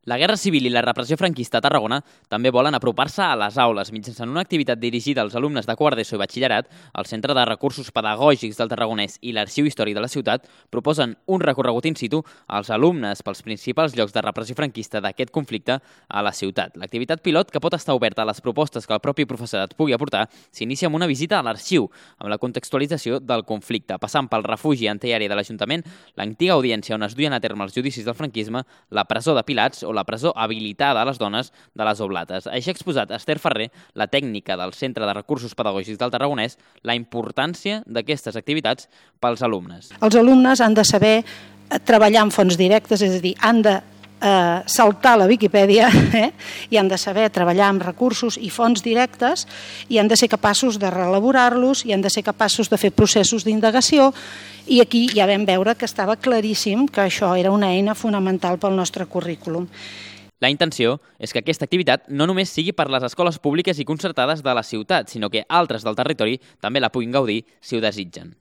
La Guerra Civil i la repressió franquista a Tarragona també volen apropar-se a les aules mitjançant una activitat dirigida als alumnes de quart d'ESO i batxillerat. El Centre de Recursos Pedagògics del Tarragonès i l'Arxiu Històric de la ciutat proposen un recorregut in situ als alumnes pels principals llocs de repressió franquista d'aquest conflicte a la ciutat. L'activitat pilot, que pot estar oberta a les propostes que el propi professorat pugui aportar, s'inicia amb una visita a l'arxiu, amb la contextualització del conflicte, passant pel refugi antiaeri de l'Ajuntament, l'antiga audiència on es duien a terme els judicis del franquisme, la presó de Pilats o la presó habilitada a les dones de les Oblates. Així ha exposat Esther Ferrer, la tècnica del Centre de Recursos Pedagògics del Tarragonès, la importància d'aquestes activitats pels alumnes. Els alumnes han de saber treballar amb fonts directes, és a dir, han de saltar la Viquipèdia i han de saber treballar amb recursos i fonts directes i han de ser capaços de reelaborar-los i han de ser capaços de fer processos d'indagació, i aquí ja vam veure que estava claríssim que això era una eina fonamental pel nostre currículum. La intenció és que aquesta activitat no només sigui per les escoles públiques i concertades de la ciutat, sinó que altres del territori també la puguin gaudir si ho desitgen.